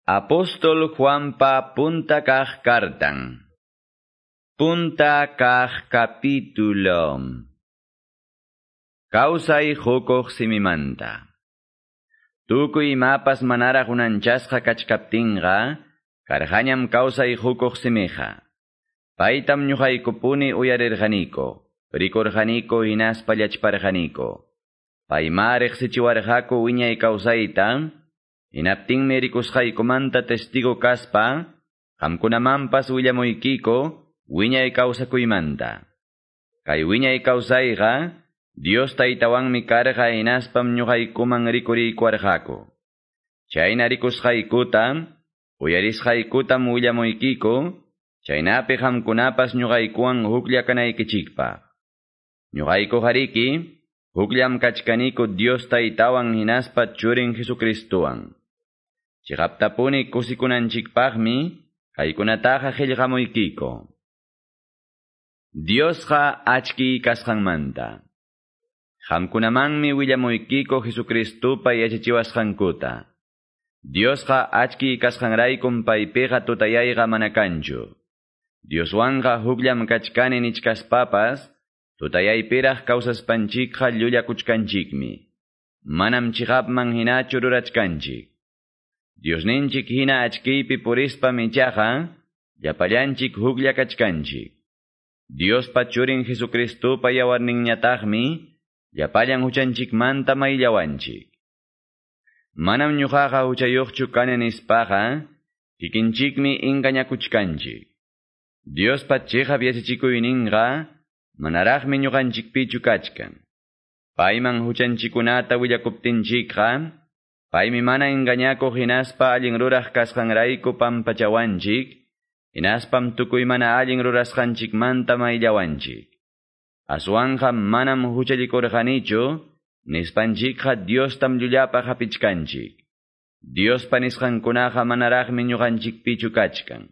Apóstol Juanpa punta kaq kartan. Punta kaq capítulo. Kawsay hukuq simimanta. Tukuy imapas manaraq unanchasqa kachkaptinqa, karqañam kawsay hukuq simiqa. Paytam ñuqaykupuni uyarirqaniko, rikurqaniko hinaspa llachparqaniko. Payma riqsichiwarqaku wiñay kawsayta, hinaptinmi rikusqaykumanta testigo kaspa, qamkunamanpas willamuykiko wiñay kawsakuymanta. Kay wiñay kawsayqa, Dios taytawanmi karqa hinaspam ñuqaykuman rikuriykuwarqaku. Chayna rikusqaykuta, uyarisqaykutam willamuykiko, chaynapi qamkunapas ñuqaykuwan huklla kanaykichikpaq. Ñuqayku hariki, hukllam kachkaniko Dios taytawan hinaspa churin Jesucristuwan. Chiqaptapuni kusikunanchikpaqmi, kaykunataqa qillqamuykiko. Diosqa achki kasqanmanta. Qamkunamanmi willamuykiko Jesucristupa yachachiwasqankuta. Diosqa achki kasqanraykum paypiqa tutayayqa mana kanchu. Dioswanqa hukllam kachkani nichkaspapas, tutayaypiraq kawsaspanchikqa llullakuchkanchikmi. Manam chiqapman hinachu rurachkanchik. Diosninchik hina achkiypi purispam ichaqa, llapallanchik huklla kachkanchik. Diospa churin Jesucristupa yawarninñataqmi, llapallan huchanchikmanta mayllawanchik. Manam ñuqaqa huchayuqchu kani nispaqa, kikinchikmi engañakuchkanchik. Diospa chiqap yachachikuyninqa, manaraqmi ñuqanchikpichu kachkan. Payman huchanchikunata willakuptinchikqa, paymi mana engañakuq hinaspa allin ruraq kasqanrayku pampachawanchik, hinaspam tukuy mana allin rurasqanchikmanta mayllawanchik. Aswanqa manam huchallikurqanichu, nispanchikqa Diostam llullapaq hapichkanchik. Diospa nisqankunaqa manaraqmi ñuqanchikpichu kachkan.